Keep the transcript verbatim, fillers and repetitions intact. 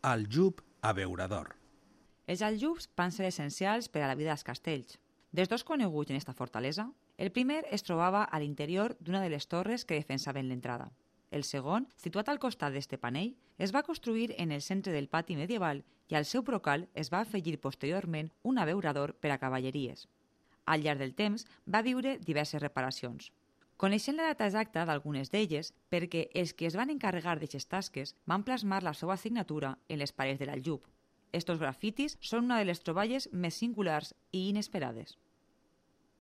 Aljub abeurador. Els aljubs van ser essencials per a la vida dels castells. Dels dos coneguts en esta fortalesa, el primer es trobava a l'interior d'una de les torres que defensaven l'entrada. El segon, situat al costat d'este panell, es va construir en el centre del pati medieval i al seu brocal es va afegir posteriorment un abeurador per a cavalleries. Al llarg del temps va viure diverses reparacions. Coneixent la data exacta d'algunes d'elles perquè els que es van encarregar d'aquestes tasques van plasmar la seva signatura en les parets de l'aljub. Estos grafitis són una de les troballes més singulars i inesperades.